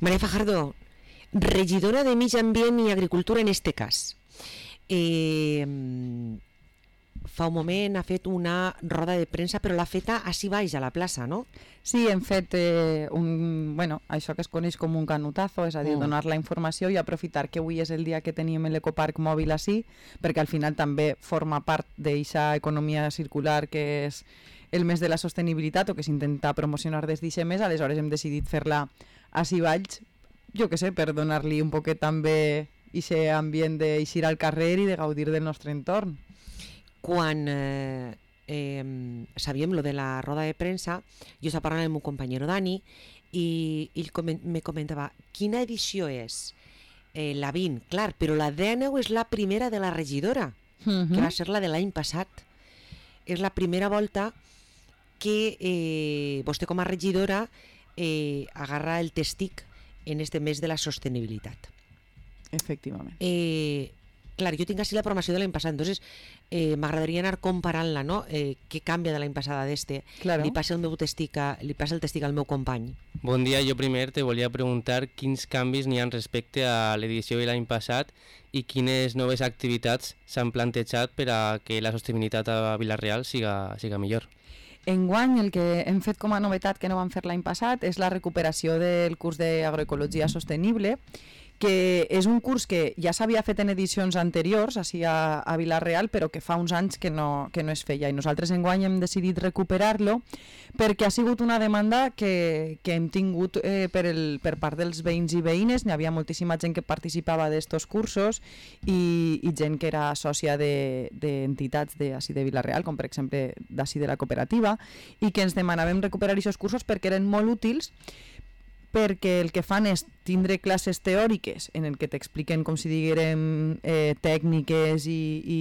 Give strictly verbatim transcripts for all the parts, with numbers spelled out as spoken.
María Fajardo, regidora de Medi Ambient i Agricultura en este cas. Eh, fa un moment ha fet una roda de premsa, però l'ha feta així baix a la plaça, no? Sí, hem fet eh, un, bueno, això que es coneix com un canutazo, és a dir, mm. donar la informació i aprofitar que avui és el dia que teníem l'ecoparc mòbil així, perquè al final també forma part d'aquesta economia circular que és el mes de la sostenibilitat o que s'intenta promocionar des d'aquest mes, aleshores hem decidit fer-la així baix, jo que sé, per donar-li un poquet també aquest ambient d'eixir al carrer i de gaudir del nostre entorn. Quan eh, eh, sabíem lo de la roda de premsa, jo estava parlant amb un companyero Dani i ell coment, me comentava quina edició és? Eh, la vint, clar, però la dènou és la primera de la regidora, uh-huh. que va ser la de l'any passat. És la primera volta que eh, vostè com a regidora eh, agarra el testic en este mes de la sostenibilitat. Efectivament. Eh, clar, jo tinc així la programació de l'any passat, entonces eh, m'agradaria anar comparant-la, no? Eh, què canvia de l'any passat a d'este? Claro. Li passa el meu testic a, li passa el testic al meu company. Bon dia, jo primer te volia preguntar quins canvis n'hi ha respecte a l'edició de l'any passat i quines noves activitats s'han plantejat per a que la sostenibilitat a Vila-real siga, siga millor. Enguany el que hem fet com a novetat que no vam fer l'any passat és la recuperació del curs d'agroecologia sostenible, que és un curs que ja s'havia fet en edicions anteriors així a, a Vila-real, però que fa uns anys que no, que no es feia, i nosaltres enguany hem decidit recuperar-lo perquè ha sigut una demanda que, que hem tingut eh, per, el, per part dels veïns i veïnes. N'hi havia moltíssima gent que participava d'estos cursos i, i gent que era sòcia d'entitats de, de, de Vila-real, com per exemple d'ací de la cooperativa, i que ens demanàvem recuperar aquests cursos perquè eren molt útils, perquè el que fan és tindre classes teòriques en el que t'expliquen, com si diguérem, eh, tècniques i, i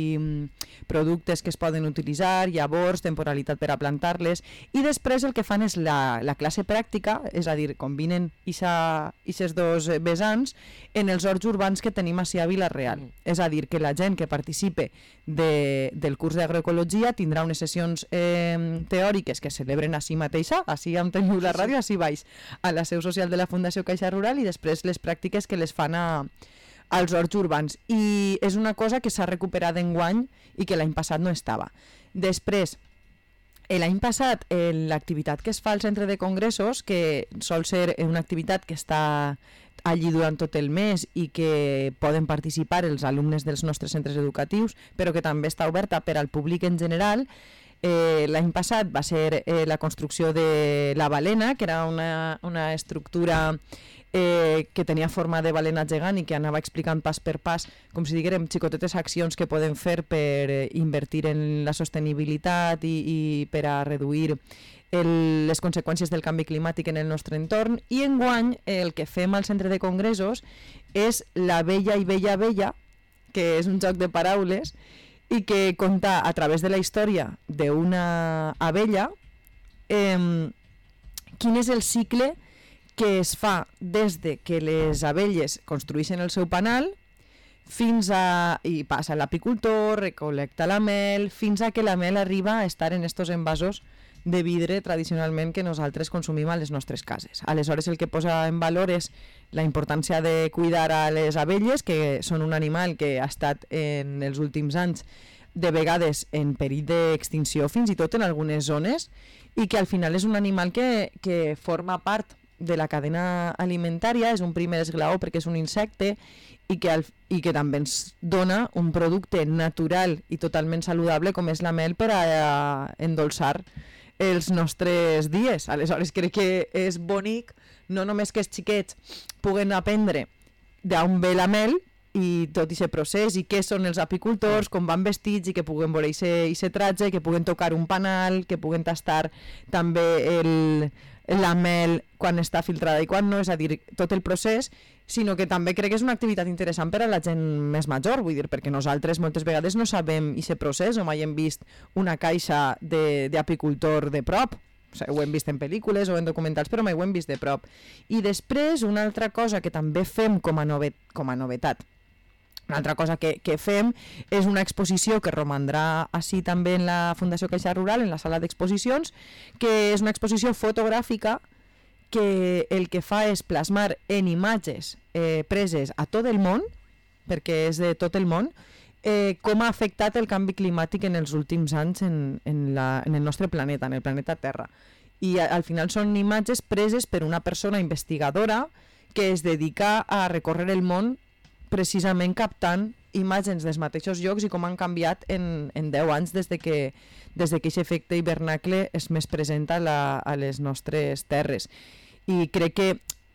productes que es poden utilitzar, llavors, temporalitat per a plantar-les, i després el que fan és la, la classe pràctica, és a dir, combinen aquests dos vessants en els horts urbans que tenim així a Vila-real. Mm. És a dir, que la gent que participe de, del curs d'agroecologia tindrà unes sessions eh, teòriques que es celebren així mateixa, així on teniu la ràdio, així baix, a la seu social de la Fundació Caixa Rural, i després les pràctiques que les fan a, als horts urbans. I és una cosa que s'ha recuperat enguany i que l'any passat no estava. Després, l'any passat, l'activitat que es fa al centre de congressos, que sol ser una activitat que està allí durant tot el mes i que poden participar els alumnes dels nostres centres educatius, però que també està oberta per al públic en general. Eh, l'any passat va ser eh, la construcció de la balena, que era una, una estructura eh, que tenia forma de balena gegant i que anava explicant pas per pas, com si diguérem, xicotetes accions que poden fer per eh, invertir en la sostenibilitat i, i per a reduir el, les conseqüències del canvi climàtic en el nostre entorn. I enguany el que fem al centre de congressos és la Bella i Bella Bella, que és un joc de paraules i que conta a través de la història d'una abella eh, quin és el cicle que es fa des de que les abelles construeixen el seu panal fins a... i passa l'apicultor, recol·lecta la mel, fins a que la mel arriba a estar en estos envasos de vidre tradicionalment que nosaltres consumim a les nostres cases. Aleshores el que posa en valor és la importància de cuidar a les abelles, que són un animal que ha estat en els últims anys de vegades en perill d'extinció, fins i tot en algunes zones, i que al final és un animal que, que forma part de la cadena alimentària, és un primer esglaó perquè és un insecte i que, al, i que també ens dona un producte natural i totalment saludable com és la mel per a, a endolçar els nostres dies. Aleshores crec que és bonic no només que els xiquets puguen aprendre d'on ve la mel i tot aquest procés i què són els apicultors, com van vestits i que puguen veure aquest tratge, que puguen tocar un panal, que puguen tastar també el, la mel quan està filtrada i quan no, és a dir, tot el procés, sinó que també crec que és una activitat interessant per a la gent més major, vull dir, perquè nosaltres moltes vegades no sabem aquest procés o mai hem vist una caixa d'apicultor de, de prop. O sigui, ho hem vist en pel·lícules o en documentals, però mai ho hem vist de prop. I després, una altra cosa que també fem com a, novet, com a novetat, una altra cosa que, que fem és una exposició que romandrà així també en la Fundació Caixa Rural, en la sala d'exposicions, que és una exposició fotogràfica que el que fa és plasmar en imatges eh, preses a tot el món, perquè és de tot el món, eh, com ha afectat el canvi climàtic en els últims anys en, en, la, en el nostre planeta, en el planeta Terra. I a, al final són imatges preses per una persona investigadora que es dedica a recórrer el món precisament captant imatges dels mateixos llocs i com han canviat en, en deu anys des de que des de que aquest efecte hivernacle és més present a, la, a les nostres terres. I crec que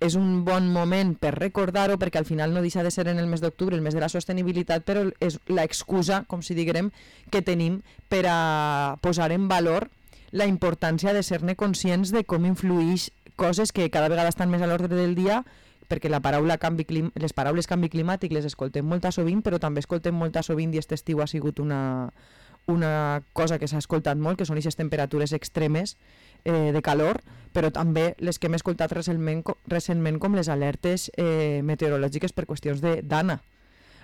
és un bon moment per recordar-ho, perquè al final no deixa de ser en el mes d'octubre, el mes de la sostenibilitat, però és l'excusa, com si diguem, que tenim per a posar en valor la importància de ser-ne conscients de com influïx coses que cada vegada estan més a l'ordre del dia, perquè la paraula canvi clim... les paraules canvi climàtic les escoltem molt sovint, però també escoltem molt sovint, i aquest estiu ha sigut una, una cosa que s'ha escoltat molt, que són aquestes temperatures extremes eh, de calor, però també les que hem escoltat recentment, recentment com les alertes eh, meteorològiques per qüestions de dana.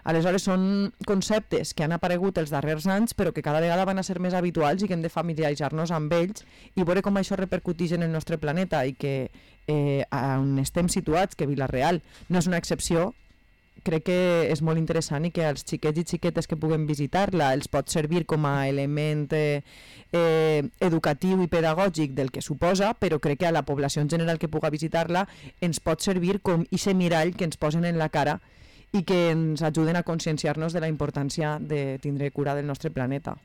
Aleshores són conceptes que han aparegut els darrers anys, però que cada vegada van a ser més habituals i que hem de familiaritzar-nos amb ells i veure com això repercuteix en el nostre planeta, i que eh, on estem situats, que Vila-real no és una excepció, crec que és molt interessant, i que els xiquets i xiquetes que puguen visitar-la els pot servir com a element eh, eh, educatiu i pedagògic del que suposa, però crec que a la població en general que puga visitar-la ens pot servir com ese mirall que ens posen en la cara i que ens ajuden a conscienciar-nos de la importància de tindre cura del nostre planeta.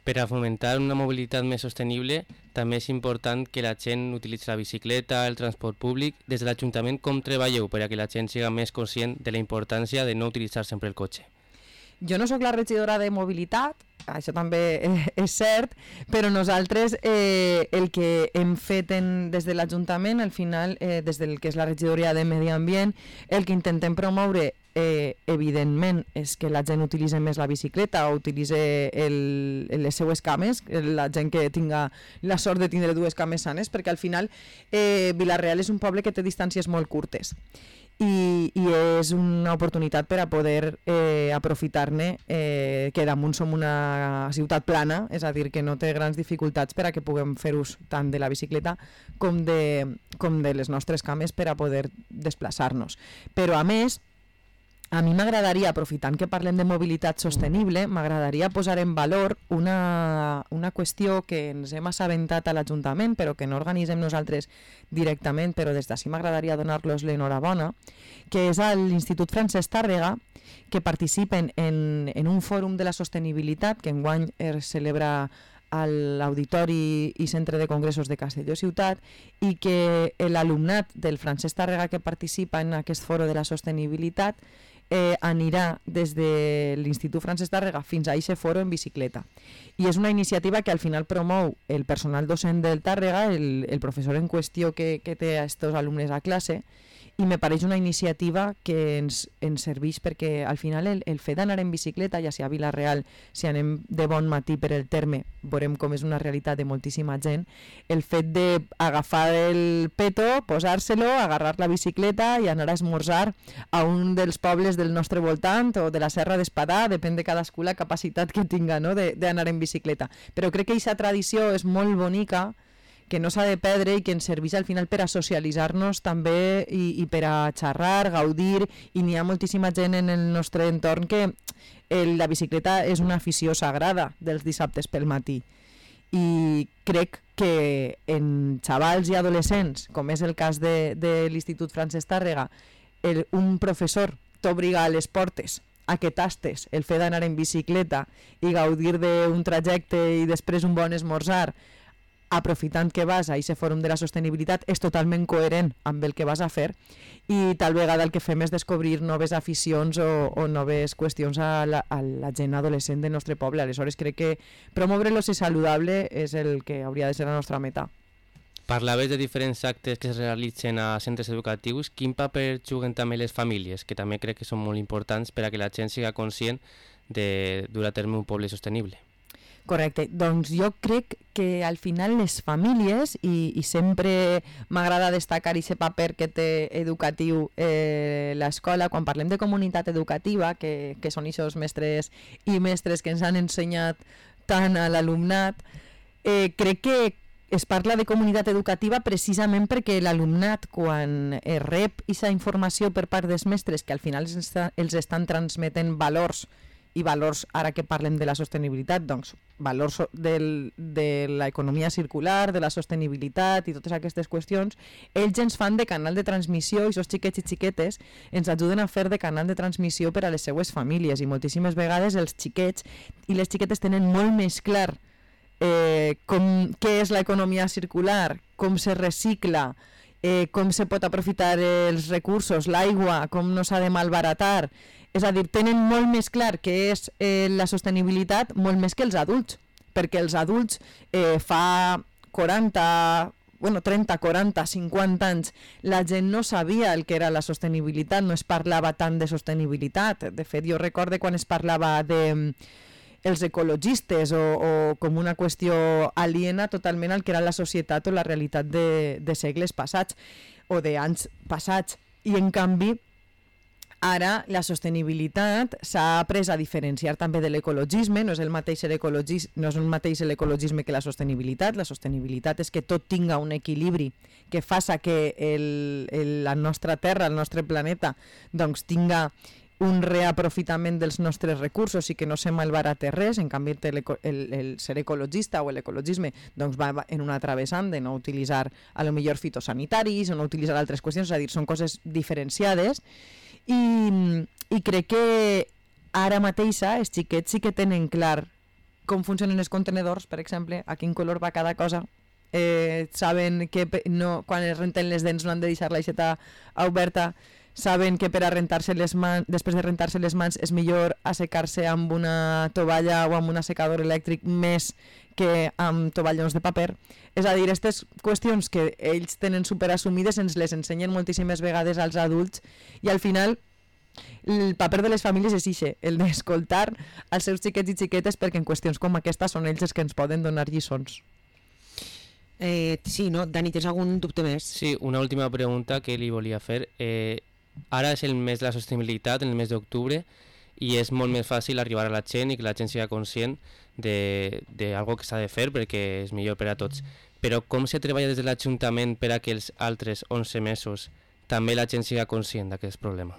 Per a fomentar una mobilitat més sostenible, també és important que la gent utilitzi la bicicleta, el transport públic. Des de l'Ajuntament, com treballeu per a que la gent siga més conscient de la importància de no utilitzar sempre el cotxe? Jo no sóc la regidora de mobilitat, això també és cert, però nosaltres eh, el que hem fet en, des de l'Ajuntament, al final, eh, des del que és la regidoria de Medi Ambient, el que intentem promoure eh, evidentment és que la gent utilitzi més la bicicleta o utilitzi el, les seues cames, la gent que tinga la sort de tindre dues cames sanes, perquè al final eh, Vila-real és un poble que té distàncies molt curtes. I, i és una oportunitat per a poder eh, aprofitar-ne, eh, que damunt som una ciutat plana, és a dir, que no té grans dificultats per a que puguem fer ús tant de la bicicleta com de, com de les nostres cames per a poder desplaçar-nos. Però a més, a mi m'agradaria, aprofitant que parlem de mobilitat sostenible, m'agradaria posar en valor una, una qüestió que ens hem assabentat a l'Ajuntament, però que no organitzem nosaltres directament, però des d'ací m'agradaria donar-los l'enhorabona, que és a l'Institut Francesc Tàrrega, que participen en, en un fòrum de la sostenibilitat que enguany es celebra a l'Auditori i Centre de Congressos de Castelló Ciutat, i que l'alumnat del Francesc Tàrrega que participa en aquest foro de la sostenibilitat eh, anirà des de l'Institut Francesc Tàrrega fins a aquest foro en bicicleta. I és una iniciativa que al final promou el personal docent del Tàrrega, el, el professor en qüestió que, que té a estos alumnes a classe, i me pareix una iniciativa que ens, ens serveix perquè al final el, el fet d'anar en bicicleta, ja sigui a Vila-real, si anem de bon matí per el terme, veurem com és una realitat de moltíssima gent, el fet d'agafar el peto, posar-se-lo, agarrar la bicicleta i anar a esmorzar a un dels pobles del nostre voltant o de la Serra d'Espadà, depèn de cadascú la capacitat que tinga, no?, d'anar en bicicleta. Però crec que aquesta tradició és molt bonica, que no s'ha de perdre i que ens serveix al final per a socialitzar-nos també i, i per a xerrar, gaudir, i n'hi ha moltíssima gent en el nostre entorn que el, la bicicleta és una afició sagrada dels dissabtes pel matí. I crec que en xavals i adolescents, com és el cas de, de l'Institut Francesc Tàrrega, el, un professor t'obliga a les portes a que tastes el fet d'anar en bicicleta i gaudir d'un trajecte i després un bon esmorzar, aprofitant que vas a aquest fòrum de la sostenibilitat, és totalment coherent amb el que vas a fer, i tal vegada el que fem és descobrir noves aficions o, o noves qüestions a la, a la gent adolescent del nostre poble. Aleshores crec que promoure l'oci saludable és el que hauria de ser la nostra meta. Parlaves de diferents actes que es realitzen a centres educatius. Quin paper juguen també les famílies, que també crec que són molt importants per a que la gent siga conscient de dur a terme un poble sostenible? Correcte, doncs jo crec que al final les famílies, i, i sempre m'agrada destacar aquest paper que té educatiu eh, l'escola, quan parlem de comunitat educativa, que, que són aquests mestres i mestres que ens han ensenyat tant a l'alumnat, eh, crec que es parla de comunitat educativa precisament perquè l'alumnat, quan eh, rep aquesta informació per part dels mestres, que al final els, està, els estan transmetent valors, i valors, ara que parlem de la sostenibilitat, doncs valors del, de l'economia circular, de la sostenibilitat i totes aquestes qüestions, ells ens fan de canal de transmissió i els xiquets i xiquetes ens ajuden a fer de canal de transmissió per a les seues famílies, i moltíssimes vegades els xiquets i les xiquetes tenen molt més clar eh, com, què és l'economia circular, com se recicla, eh, com se pot aprofitar els recursos, l'aigua, com no s'ha de malbaratar. És a dir, tenen molt més clar què és eh, la sostenibilitat, molt més que els adults, perquè els adults eh, fa quaranta, bueno, trenta, quaranta, cinquanta anys la gent no sabia el que era la sostenibilitat, no es parlava tant de sostenibilitat. De fet, jo recorde quan es parlava de els ecologistes o, o com una qüestió aliena totalment al que era la societat o la realitat de, de segles passats o d'anys passats. I en canvi, ara la sostenibilitat s'ha après a diferenciar també de l'ecologisme, no és el mateix l'ecologisme, no és el mateix l'ecologisme que la sostenibilitat. La sostenibilitat és que tot tinga un equilibri que faça que el, el, la nostra terra, el nostre planeta, doncs tinga un reaprofitament dels nostres recursos i que no se malbarate res. En canvi, el, el, el ser ecologista o l'ecologisme doncs va en una altra vessant de no utilitzar a lo millor fitosanitaris o no utilitzar altres qüestions, és a dir, són coses diferenciades. I, i crec que ara mateixa els xiquets sí que tenen clar com funcionen els contenedors, per exemple, a quin color va cada cosa, eh, saben que no, quan es renten les dents no han de deixar l'aixeta oberta, saben que per a rentar-se les mans, després de rentar-se les mans és millor assecar-se amb una tovalla o amb un assecador elèctric més que amb tovallons de paper. És a dir, aquestes qüestions que ells tenen superassumides ens les ensenyen moltíssimes vegades als adults i al final el paper de les famílies és ixe, el d'escoltar als seus xiquets i xiquetes, perquè en qüestions com aquesta són ells els que ens poden donar lliçons. Eh, sí, no? Dani, tens algun dubte més? Sí, una última pregunta que li volia fer. Eh, ara és el mes de la sostenibilitat, el mes d'octubre, i és molt més fàcil arribar a la gent i que la gent sigui conscient d'algo que s'ha de fer perquè és millor per a tots. Però com se treballa des de l'Ajuntament per a que els altres onze mesos també la gent sigui conscient d'aquest problema?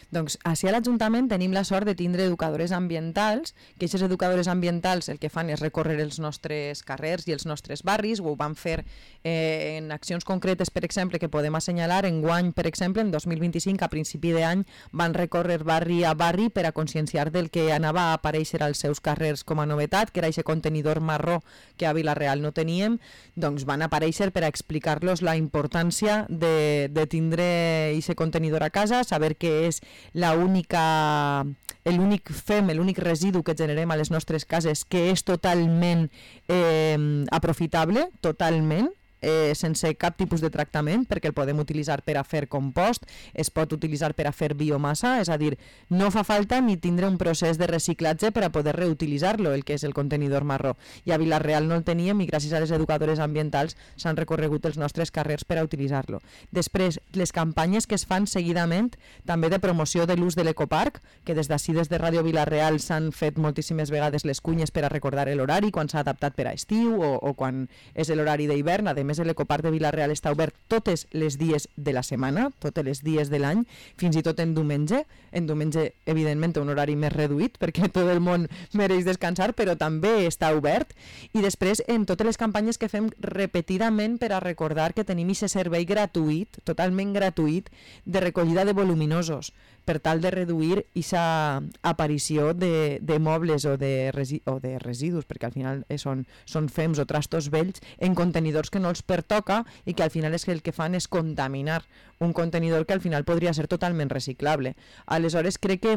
Doncs així a l'Ajuntament tenim la sort de tindre educadores ambientals, que aquestes educadores ambientals el que fan és recórrer els nostres carrers i els nostres barris, ho van fer eh, en accions concretes, per exemple, que podem assenyalar. Enguany, per exemple, en dos mil vint-i-cinc, a principi d'any, van recórrer barri a barri per a conscienciar del que anava a aparèixer als seus carrers com a novetat, que era aquest contenidor marró que a Vila-real no teníem. Doncs van aparèixer per a explicar-los la importància de, de tindre aquest contenidor a casa, saber que és la única, l'únic fem, l'únic residu que generem a les nostres cases que és totalment eh, aprofitable, totalment, eh, sense cap tipus de tractament, perquè el podem utilitzar per a fer compost, es pot utilitzar per a fer biomassa, és a dir, no fa falta ni tindre un procés de reciclatge per a poder reutilitzar-lo, el que és el contenidor marró. I a Vila-real no el teníem i gràcies a les educadores ambientals s'han recorregut els nostres carrers per a utilitzar-lo. Després, les campanyes que es fan seguidament, també de promoció de l'ús de l'ecoparc, que des d'ací, des de Ràdio Vila-real, s'han fet moltíssimes vegades les cunyes per a recordar l'horari, quan s'ha adaptat per a estiu o, o quan és l'horari d'hivern. A més, l'ecoparc de Vila-real està obert totes les dies de la setmana, totes les dies de l'any, fins i tot en diumenge. En diumenge, evidentment, un horari més reduït, perquè tot el món mereix descansar, però també està obert. I després, en totes les campanyes que fem repetidament per a recordar que tenim aquest servei gratuït, totalment gratuït, de recollida de voluminosos, per tal de reduir aquesta aparició de, de mobles o de, resi o de residus, perquè al final són, són fems o trastos vells en contenidors que no els pertoca i que al final és que el que fan és contaminar un contenidor que al final podria ser totalment reciclable. Aleshores crec que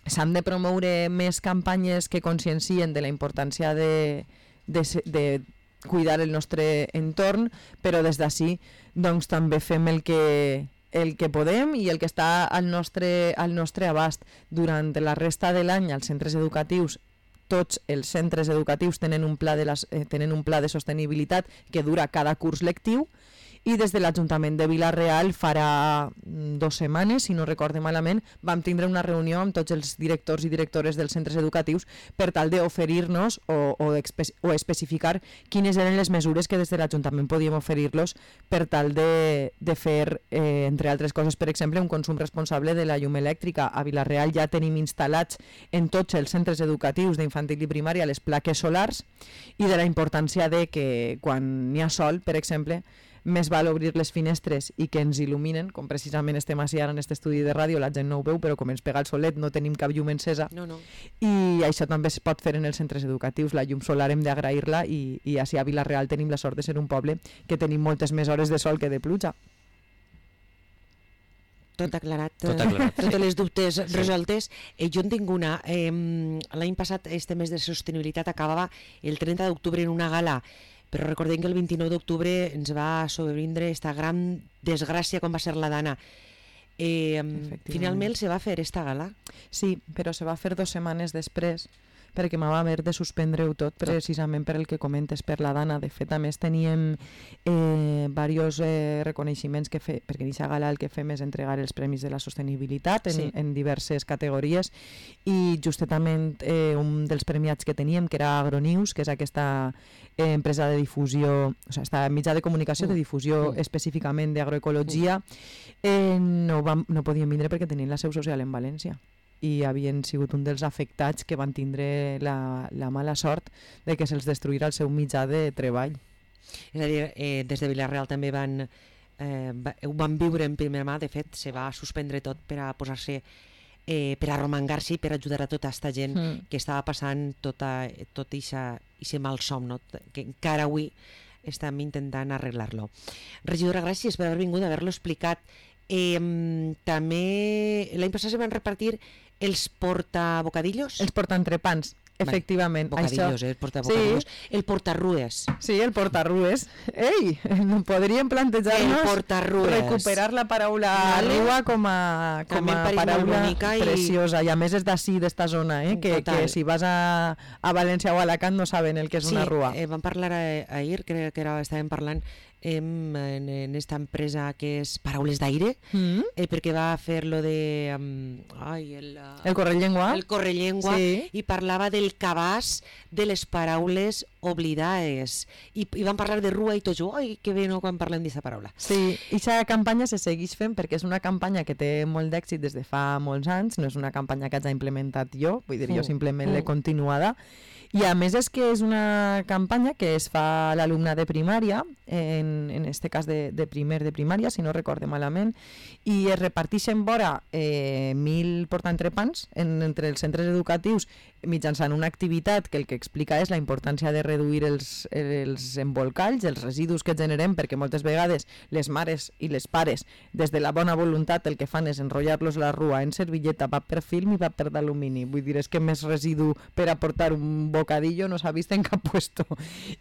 s'han de promoure més campanyes que consciencien de la importància de, de, de cuidar el nostre entorn, però des d'ací doncs, també fem el que el que podem i el que està al nostre, al nostre abast. Durant la resta de l'any als centres educatius, tots els centres educatius tenen un pla de, les, eh, tenen un pla de sostenibilitat que dura cada curs lectiu i des de l'Ajuntament de Vila-real farà dues setmanes, si no recorde malament, vam tindre una reunió amb tots els directors i directores dels centres educatius per tal d'oferir-nos o, o, o especificar quines eren les mesures que des de l'Ajuntament podíem oferir-los per tal de, de fer, eh, entre altres coses, per exemple, un consum responsable de la llum elèctrica. A Vila-real ja tenim instal·lats en tots els centres educatius d'infantil i primària les plaques solars i de la importància de que quan n'hi ha sol, per exemple, més val obrir les finestres i que ens il·luminen, com precisament estem així ara en aquest estudi de ràdio, la gent no ho veu, però com ens pega el solet no tenim cap llum encesa, no, no. I això també es pot fer en els centres educatius. La llum solar hem d'agrair-la i, i així a Vila-real tenim la sort de ser un poble que tenim moltes més hores de sol que de pluja. Tot aclarat, Tot aclarat, totes sí. les dubtes Sí. resoltes. Eh, jo en tinc una. Eh, L'any passat, este mes de sostenibilitat acabava el trenta d'octubre en una gala, però recordem que el vint-i-nou d'octubre ens va sobrevindre esta gran desgràcia com va ser la Dana. Eh, finalment se va fer esta gala? Sí, però se va fer dues setmanes després, perquè m'ha haver de suspendre-ho tot, precisament per el que comentes, per la Dana. De fet, a més, teníem eh, diversos eh, reconeixements que fe, perquè aquesta gala el que fem és entregar els premis de la sostenibilitat en, Sí. en diverses categories, i justament eh, un dels premiats que teníem, que era Agronews, que és aquesta eh, empresa de difusió, o sigui, esta mitjà de comunicació de difusió Mm. específicament d'agroecologia, eh, no, vam, no podien vindre perquè tenien la seu social en València i havien sigut un dels afectats que van tindre la, la mala sort de que se'ls destruïra el seu mitjà de treball. És a dir, eh, des de Vila-real també van, eh, va, ho van viure en primera mà. De fet, se va suspendre tot per a posar-se, eh, per a romangar-se i per ajudar a tota aquesta gent Mm. que estava passant tota, tot aquest malsom, no? Que encara avui estem intentant arreglar-lo. Regidora, gràcies per haver vingut, haver-lo explicat. Eh, també l'any passat se van repartir els portabocadillos? Els portaentrepans, efectivament. Bocadillos, Això... eh? Portabocadillos. Sí. El portarrues. Sí, el portarrues. Ei, no podríem plantejar-nos El portarrues. recuperar la paraula Vale. rua com a, com També em a pareix molt paraula bonica i- preciosa. I a més és d'ací, d'esta zona, eh? que, Total. que si vas a, a València o a Alacant no saben el que és Sí, una rua. eh, vam parlar eh, ahir, crec que era, estàvem parlant em, en, en esta empresa que és Paraules d'Aire, Mm? eh, perquè va fer lo de... Um, ai, el, uh, El correllengua? el correllengua, Sí. i parlava del cabàs de les paraules oblidades. I, i vam parlar de rua i tot jo, ai, que bé no quan parlem d'aquesta paraula. Sí, i aquesta campanya se segueix fent perquè és una campanya que té molt d'èxit des de fa molts anys, no és una campanya que hagi implementat jo, vull dir, jo Mm. simplement l'he Mm. continuada, i a més és que és una campanya que es fa a l'alumne de primària, en, en este cas de, de primer de primària, si no recorde malament, i es reparteixen vora eh, mil portaentrepans en, entre els centres educatius mitjançant una activitat que el que explica és la importància de reduir els, els embolcalls, els residus que generem, perquè moltes vegades les mares i les pares, des de la bona voluntat, el que fan és enrotllar-los la rua en servilleta, paper film i paper d'alumini. Vull dir, és que més residu per aportar un bocadillo no s'ha vist en cap puesto.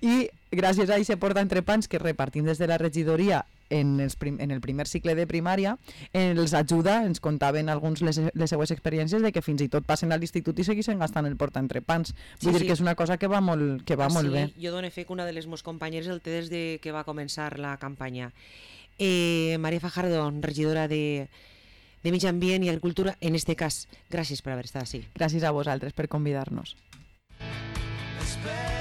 I gràcies a aquest portaentrepans que repartim des de la regidoria en, els prim, en el primer cicle de primària, els ajuda, ens contaven alguns les, les seues experiències de que fins i tot passen a l'institut i segueixen gastant el portaentrepans. Vull Sí, dir sí. que és una cosa que va molt, que va Ah, molt sí, bé. Jo dono fe que una de les meus companyeres el té des de que va començar la campanya. Eh, Maria Fajardo, regidora de, de Mig Ambient i Agricultura, en este cas, gràcies per haver estat així. Gràcies a vosaltres per convidar-nos. Espera.